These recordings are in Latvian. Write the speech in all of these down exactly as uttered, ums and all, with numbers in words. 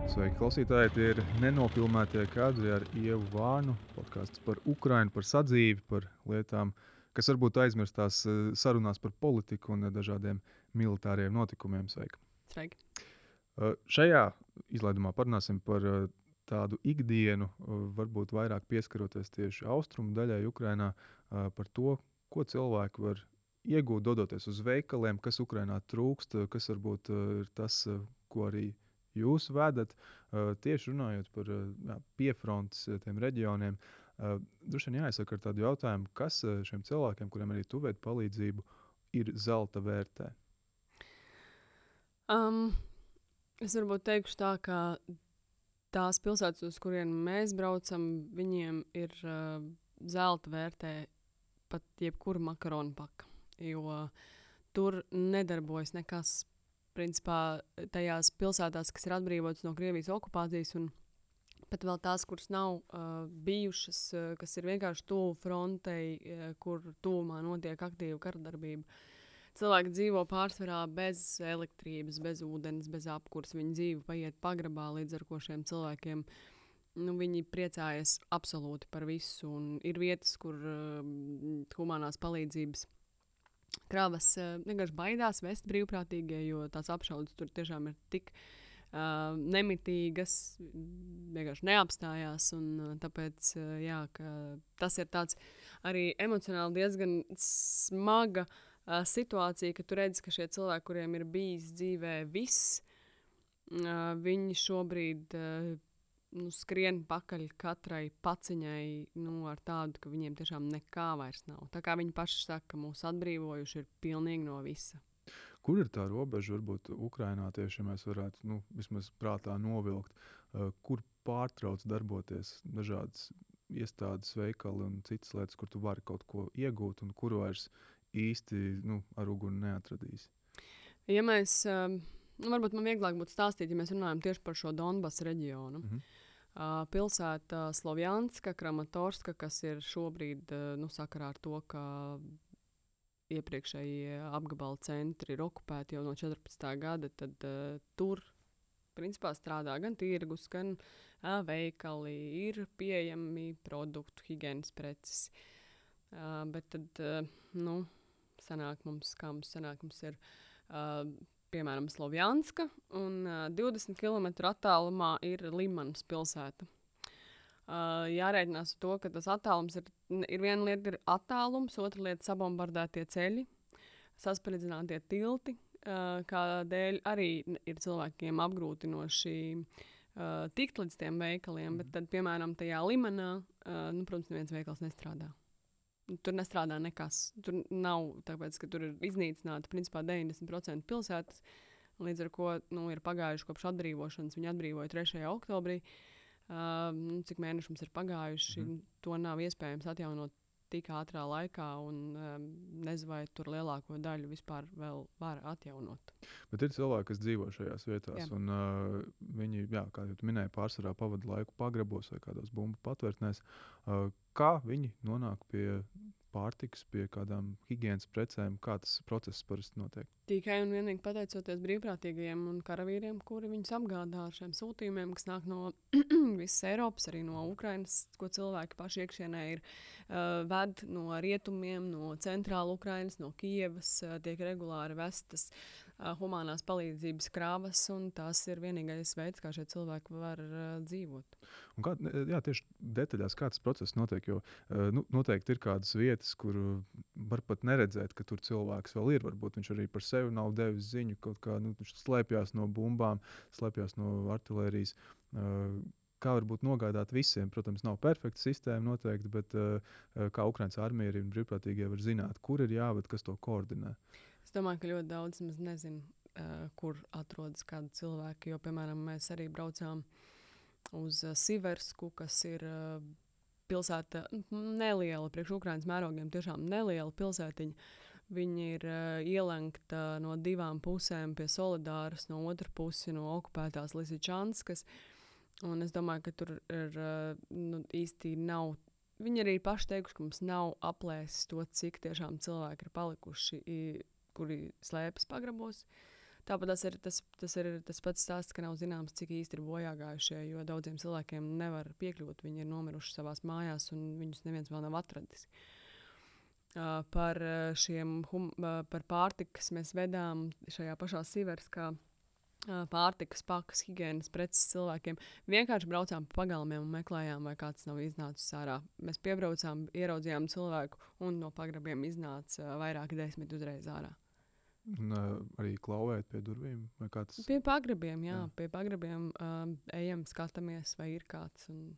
Sveiki, klausītāji! Tie ir nenofilmētie kadri ar Ievu Vānu. Podkāsts par Ukrainu, par sadzīvi, par lietām, kas varbūt aizmirstās eh, sarunās par politiku un dažādiem militāriem notikumiem. Sveiki! Sveiki. Eh, Šajā izlaidumā parunāsim par eh, tādu ikdienu, eh, varbūt vairāk pieskaroties tieši austrumu daļai Ukrainā, eh, par to, ko cilvēki var iegūt, dodoties uz veikaliem, kas Ukrainā trūkst, eh, kas varbūt eh, ir tas, eh, ko arī jūs vedat, uh, tieši runājot par uh, jā, piefrontes uh, tiem reģioniem. Uh, Droši vien jāizsaka ar tādu jautājumu, kas uh, šiem cilvēkiem, kuriem arī tu veidi palīdzību, ir zelta vērtē? Um, es varbūt teikšu tā, ka tās pilsētas, uz kurien mēs braucam, viņiem ir uh, zelta vērtē pat jebkura makaronu paka. Jo tur nedarbojas nekas. Principā tajās pilsētās, kas ir atbrīvotas no Krievijas okupācijas, un pat vēl tās, kuras nav uh, bijušas, uh, kas ir vienkārši tuvu frontei, uh, kur tuvumā notiek aktīva karadarbība. Cilvēki dzīvo pārsvarā bez elektrības, bez ūdens, bez apkurs. Viņu dzīve paiet pagrabā, līdz ar ko šiem cilvēkiem nu, viņi priecājas absolūti par visu. Un ir vietas, kur uh, humanās palīdzības kravas uh, vienkārši baidās vest brīvprātīgie, jo tās apšaudes tur tiešām ir tik uh, nemitīgas, vienkārši neapstājās. Un, uh, tāpēc uh, jā, tas ir tāds arī emocionāli diezgan smaga uh, situācija, ka tu redzi, ka šie cilvēki, kuriem ir bijis dzīvē viss, uh, viņi šobrīd uh, nu, skrien pakaļ katrai paciņai nu, ar tādu, ka viņiem tiešām nekā vairs nav. Tā kā viņi paši saka, ka mūs atbrīvojuši ir pilnīgi no visa. Kur ir tā robeža, varbūt Ukrainā tieši, ja mēs varētu nu, vismaz prātā novilkt, uh, kur pārtrauc darboties dažādas iestādes, veikali un citas lietas, kur tu vari kaut ko iegūt un kur vairs īsti nu, ar uguni neatradīs? Ja mēs, um, nu, varbūt man vieglāk būtu stāstīt, ja mēs runājam tieši par šo Donbass reģionu. Mhm. Uh, pilsēta Slovjanska, Kramatorska, kas ir šobrīd uh, nu, sakarā ar to, ka iepriekšējie apgabala centri ir okupēti jau no četrpadsmitā gada, tad uh, tur principā strādā gan tirgus, gan uh, veikali, ir pieejami produktu, higienas preces. Uh, bet tad, uh, nu, sanāk mums, kā mums sanāk, mums ir uh, piemēram Slovjanska, un uh, divdesmit kilometru attālumā ir Limanas pilsēta. Uh, jārēķinās ar to, ka tas attālums ir, ir viena lieta ir attālums, otra lieta sabombardētie ceļi, saspridzinātie tilti, uh, kādēļ arī ir cilvēkiem apgrūtinoši uh, tikt līdz tiem veikaliem, mm. bet tad, piemēram, tajā Limanā, uh, nu, protams, neviens veikals nestrādā. Tur nestrādā nekas. Tur nav, tāpēc, ka tur ir iznīcināta principā deviņdesmit procenti pilsētas, līdz ar ko nu, ir pagājuši kopš atbrīvošanas. Viņi atbrīvoja trešajā oktobrī. Uh, nu, cik mēneši mums ir pagājuši, mm. to nav iespējams atjaunot tik ātrā laikā, un um, nezinu, vai tur lielāko daļu vispār vēl var atjaunot. Bet ir cilvēki, kas dzīvo šajās vietās, Jā. un uh, viņi, jā, kā jau tu minēji, pārsvarā pavada laiku pagrabos vai kādos bumbu patvērtnēs. Uh, kā viņi nonāk pie pārtikas, pie kādām higienas precēm, kā tas process parasti notiek? Tikai un vienīgi pateicoties brīvprātīgajiem un karavīriem, kuri viņus apgādā ar šiem sūtījumiem, kas nāk no visas Eiropas, arī no Ukrainas, ko cilvēki paši iekšienē ir uh, ved no rietumiem, no centrāla Ukrainas, no Kijevas, uh, tiek regulāri vestas uh, humanās palīdzības krāvas, un tas ir vienīgais veids, kā šie cilvēki var uh, dzīvot. Un kā, jā, tieši detaļās, kā tas process notiek, jo uh, nu, noteikti ir kādas vietas, kur var pat neredzēt, ka tur cilvēks vēl ir. Varbūt viņš arī par sevi nav devis ziņu, kaut kā nu, viņš slēpjas no bumbām, slēpjas no artilērijas. Uh, kā varbūt nogādāt visiem? Protams, nav perfekta sistēma noteikti, bet uh, kā Ukrainas armija un brīvprātīgie var zināt, kur ir jāved, kas to koordinē? Es domāju, ka ļoti daudz maz nezinu, uh, kur atrodas kādi cilvēki, jo, piemēram, mēs arī braucām uz uh, Siversku, kas ir uh, pilsēta neliela, priekš Ukrainas mērogiem tiešām neliela pilsētiņa. Viņa ir uh, ielenkta no divām pusēm pie Solidāras, no otras puses no okupētās Lisičanskas. Un es domāju, ka tur ir uh, nu, īsti nav. Viņi arī paši teikuši, ka mums nav aplēsis to, cik tiešām cilvēki ir palikuši, i, kuri slēpjas pagrabos. Tāpat tas ir tas, tas ir tas pats stāsts, ka nav zināms, cik īsti ir bojā gājušie, jo daudziem cilvēkiem nevar piekļūt. Viņi ir nomiruši savās mājās, un viņus neviens vēl nav atradis. Uh, par uh, šiem hum, uh, par pārtiku, kas mēs vedām šajā pašā Siverskā, uh, pārtikas pakas, higienas preces cilvēkiem. Vienkārši braucām pa pagalmiem un meklējām, vai kāds nav iznācis ārā. Mēs piebraucām, ieraudzījām cilvēku, un no pagrabiem iznāca uh, vairāki desmit uzreiz ārā. Un, uh, arī klauvēt pie durvīm? Vai kā tas? Pie pagrabiem, jā, Jā. pie pagrabiem um, ejam, skatāmies, vai ir kāds. Un,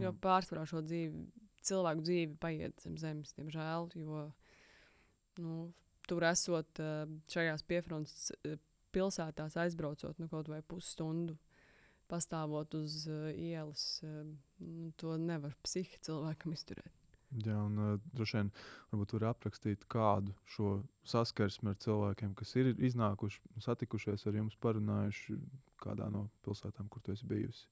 jo Mm. pārsvarā šo dzīvi, cilvēku dzīvi paiet zem zemes, diemžēl, jo nu, tur esot uh, šajās piefrontes uh, pilsētās aizbraucot nu, kaut vai pusstundu, pastāvot uz uh, ielas, uh, nu, to nevar psihi cilvēkam izturēt. Jā, un uh, droši vien varbūt var aprakstīt kādu šo saskarsmi ar cilvēkiem, kas ir iznākuši, satikušies ar jums, parunājuši kādā no pilsētām, kur tu esi bijusi.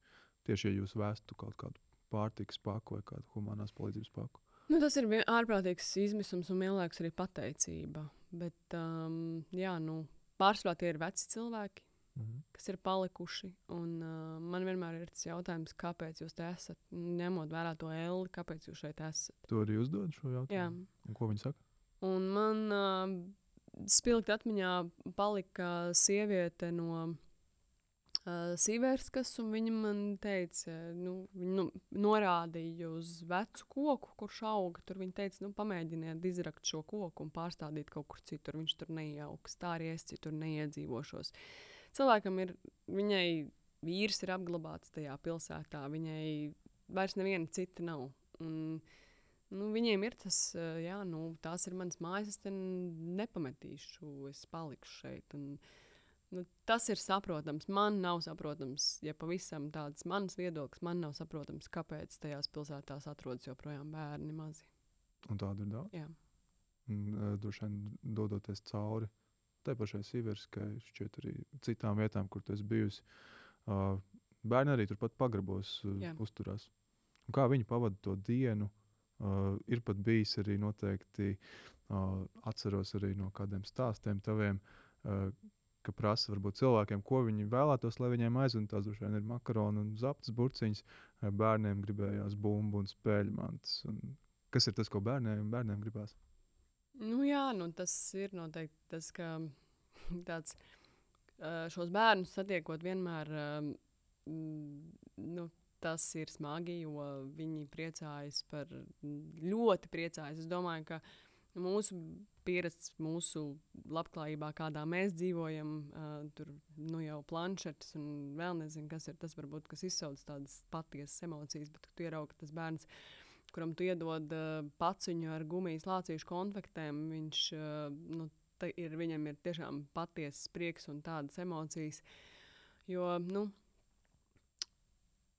Tieši, ja jūs vēstu kaut kādu pārtikas paku vai kādu humanās palīdzības paku. Nu, tas ir vien- ārprātīgs izmisums un vienlaikus arī pateicība. Bet, um, jā, nu, pārsvarā tie ir veci cilvēki, Mhm. kas ir palikuši. Un, uh, man vienmēr ir tas jautājums, kāpēc jūs te esat. Ņemot vērā to elli, kāpēc jūs šeit esat. Tu arī uzdod šo Jā. jautājumu? Un ko viņi saka? Un man uh, spilgti atmiņā palika sieviete no uh, Siverskas, un viņa man teica, nu, viņa nu, norādīja uz vecu koku, kurš auga. Tur viņa teica, nu, pamēģiniet izrakt šo koku un pārstādīt kaut kur citur. Viņš tur neiejauks. Tā arī es citur neiedzīvošos. Cilvēkam ir, viņai vīrs ir apglabāts tajā pilsētā, viņai vairs neviena cita nav. Un, nu, viņiem ir tas, uh, jā, nu, tās ir manas mājas, es te nepametīšu, es palikšu šeit. Un, nu, tas ir saprotams. Man nav saprotams, ja pavisam tāds mans viedoklis, man nav saprotams, kāpēc tajās pilsētās atrodas joprojām bērni mazi. Un tādu ir daudz. Jā. Un, uh, droši vien dodoties cauri tai pašai Siverskai, šķiet arī citām vietām, kur tu esi bijusi. Uh, bērni arī turpat pagrabos uh, Jā. uzturās. Un kā viņi pavada to dienu? Uh, ir pat bijis arī noteikti, uh, atceros arī no kādiem stāstiem taviem, uh, ka prasa varbūt cilvēkiem, ko viņi vēlētos, lai viņiem aizvien tās droši vien ir makaroni un zaptas burciņas. Uh, bērniem gribējās bumbu un spēļmantas. Un kas ir tas, ko bērniem, bērniem gribās? Nu, jā, nu, tas ir noteikti tas, ka tāds, uh, šos bērnus satiekot vienmēr, um, nu, tas ir smagi, jo viņi priecājas par, ļoti priecājas. Es domāju, ka mūsu pieredze, mūsu labklājībā, kādā mēs dzīvojam, uh, tur nu, jau planšetes un vēl nezinu, kas ir tas, varbūt, kas izsauc tādas patiesas emocijas, bet tu ieraugi, ka tas bērns, kuram tu iedod uh, paciņu ar gumijas lācīšu konfektēm, viņš, uh, nu, ir, viņam ir tiešām patiesas prieks un tādas emocijas. Jo, nu,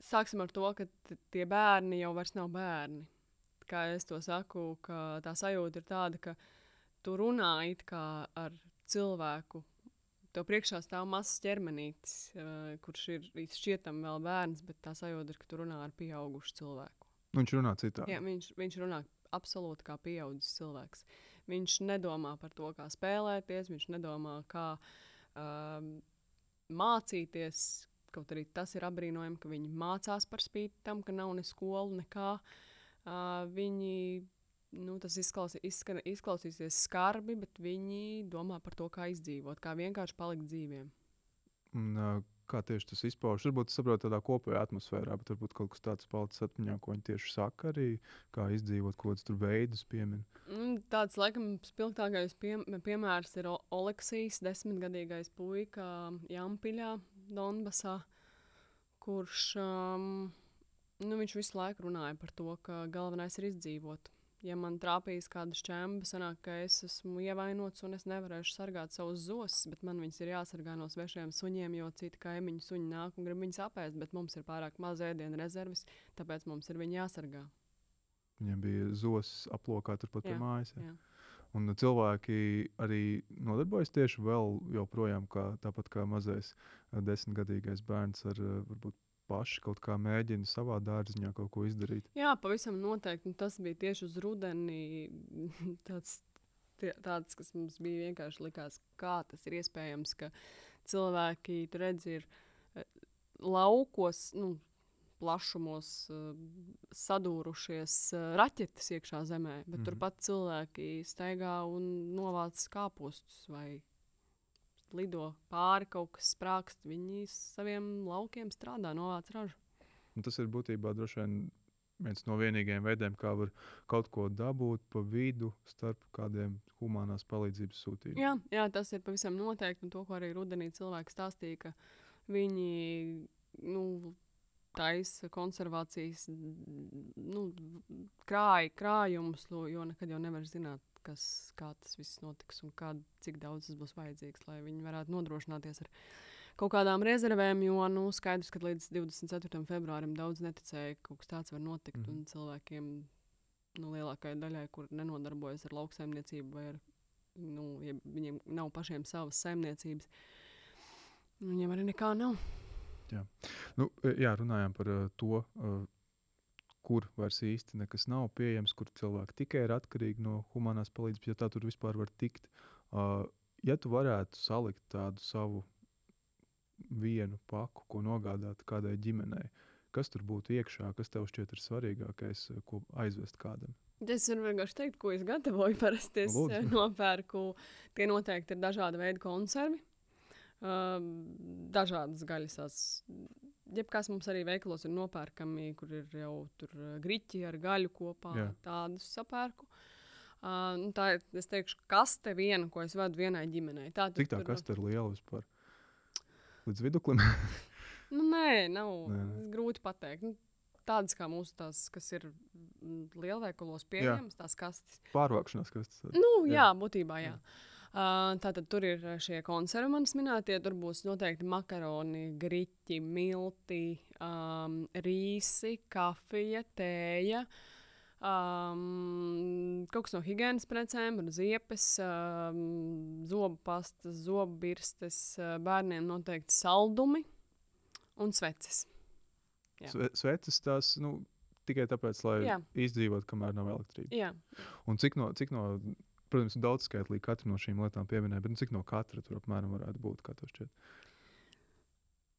sāksim ar to, ka t- tie bērni jau vairs nav bērni. Kā es to saku, ka tā sajūta ir tāda, ka tu runā it kā ar cilvēku. Tev priekšā stāv mazs ķermenītis, uh, kurš ir šķietam vēl bērns, bet tā sajūta ir, ka tu runā ar pieaugušu cilvēku. Viņš runā citādi. Jā, viņš, viņš runā absolūti kā pieaudzis cilvēks. Viņš nedomā par to, kā spēlēties, viņš nedomā, kā um, mācīties. Kaut arī tas ir apbrīnojami, ka viņi mācās par spīti tam, ka nav ne skolu, nekā. Uh, viņi, nu, tas izklausī, izskan, izklausīsies skarbi, bet viņi domā par to, kā izdzīvot, kā vienkārši palikt dzīviem. Un, uh, kā tieši tas izpaužas? Varbūt saprot tādā kopējā atmosfērā, bet varbūt kaut kas tāds palicis atmiņā, ko viņi tieši saka arī, kā izdzīvot, ko tas tur veidus piemin. Mm, Tāds, laikam, spilgtākais pie, piemērs ir O- Oleksijs, desmitgadīgais puika Jampiļā, Donbasā, kurš, um, nu, viņš visu laiku runāja par to, ka galvenais ir izdzīvot. Ja man trāpīs kāda šķemba, sanāk, ka es esmu ievainots un es nevarēšu sargāt savus zosis, bet man viņas ir jāsargā no svešiem suņiem, jo citi kaimiņu suņi nāk un grib viņus apēst, bet mums ir pārāk maz ēdienu rezerves, tāpēc mums ir viņi jāsargā. Viņiem bija zosis aplokā turpat pie Jā, mājas. Ja? jā. Un cilvēki arī nodarbojas tieši vēl joprojām, kā, tāpat kā mazais uh, desmitgadīgais bērns ar uh, varbūt paši kaut kā mēģina savā dārziņā kaut ko izdarīt. Jā, pavisam noteikti. Un tas bija tieši uz rudeni. Tāds tie, tādas, kas mums bija vienkārši likās, kā tas ir iespējams, ka cilvēki, tu redzi, ir eh, laukos, nu, plašumos uh, sadūrušies uh, raķetes iekšā zemē, bet mm -hmm. turpat cilvēki staigā un novāc kāpostus vai lido pāri kaut kas sprākst. Viņi saviem laukiem strādā, novāc ražu. Un tas ir būtībā droši vien viens no vienīgajiem veidiem, kā var kaut ko dabūt pa vidu starp kādiem humanās palīdzības sūtījumiem. Jā, jā, tas ir pavisam noteikti. Un to, ko arī rudenī cilvēki stāstīja, ka viņi nu, taisa konservācijas nu, krāj, krājumus, jo nekad jau nevar zināt, kas, kā tas viss notiks un kā, cik daudz tas būs vajadzīgs, lai viņi varētu nodrošināties ar kaut kādām rezervēm, jo nu, skaidrs, ka līdz divdesmit ceturtajam februārim daudz neticēja, ka kaut kas tāds var notikt. Mm. Un cilvēkiem, nu, lielākajai daļai, kur nenodarbojas ar lauksaimniecību vai ar, nu, ja viņiem nav pašiem savas saimniecības, viņiem arī nekā nav. Jā, nu, jā runājām par uh, to, uh, kur vairs īsti nekas nav pieejams, kur cilvēki tikai ir atkarīgi no humanās palīdzības, ja tā tur vispār var tikt. Uh, ja tu varētu salikt tādu savu vienu paku, ko nogādāt kādai ģimenei, kas tur būtu iekšā, kas tev šķiet ir svarīgākais, ko aizvest kādam? Es varu vienkārši teikt, ko es gatavoju. Parasti es Lūdzu. nopērku, tie noteikti ir dažāda veida konservi. Uh, dažādas gaļas. Jebkas mums arī veikalos ir nopērkami, kur ir jau tur griķi ar gaļu kopā. Jā. Tādus sapērku. Uh, nu tā ir, es teikšu, kaste viena, ko es vadu vienai ģimenei. Tā, Cik tā tur... kaste ir liela vispār? Līdz viduklim? nu, nē, nav. Nē, nē. Grūti pateikt. Nu, tādas kā mūsu tās, kas ir lielveikalos pieejamas, tās kastes. Pārvākšanās kastes. Nu, jā, jā būtībā jā. jā. Uh, tātad tur ir šie konservi manis minētie. Tur būs noteikti makaroni, griķi, milti, um, rīsi, kafija, tēja, um, kaut kas no higienas precēm, ziepes, um, zobu pastas, zobu birstes, uh, bērniem noteikti saldumi un sveces. Sve, sveces tās, nu, tikai tāpēc, lai jā. izdzīvot, kamēr nav elektrība. Jā. Un cik no... Cik no Protams, daudz skaitlīgi katru no šīm lietām pieminēja, bet nu, cik no katra tur apmēram varētu būt, kā tev šķiet?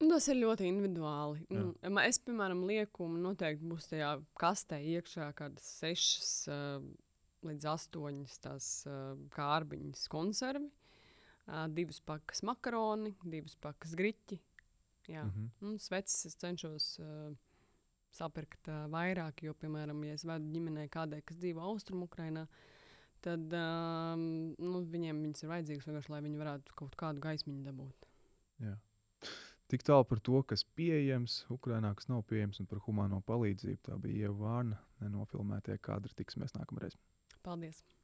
Tas ir ļoti individuāli. Nu, es, piemēram, lieku, noteikti būs tajā kastē iekšā kādas sešas uh, līdz astoņas tās uh, kārbiņas konservi, uh, divas pakas makaroni, divas pakas griķi. Jā. Mm-hmm. Un sveces es cenšos uh, sapirkt uh, vairāk, jo, piemēram, ja es vedu ģimenei kādai, kas dzīvo Austrumu Ukrainā, tad um, nu, viņiem viņas ir vajadzīgas vienkārši, lai viņi varētu kaut kādu gaismiņu dabūt. Jā. Tik tālu par to, kas pieejams Ukrainā, kas nav pieejams, un par humāno palīdzību. Tā bija Ieva Vārna, nenofilmētie kadri. Tiksimies nākamreiz. Paldies!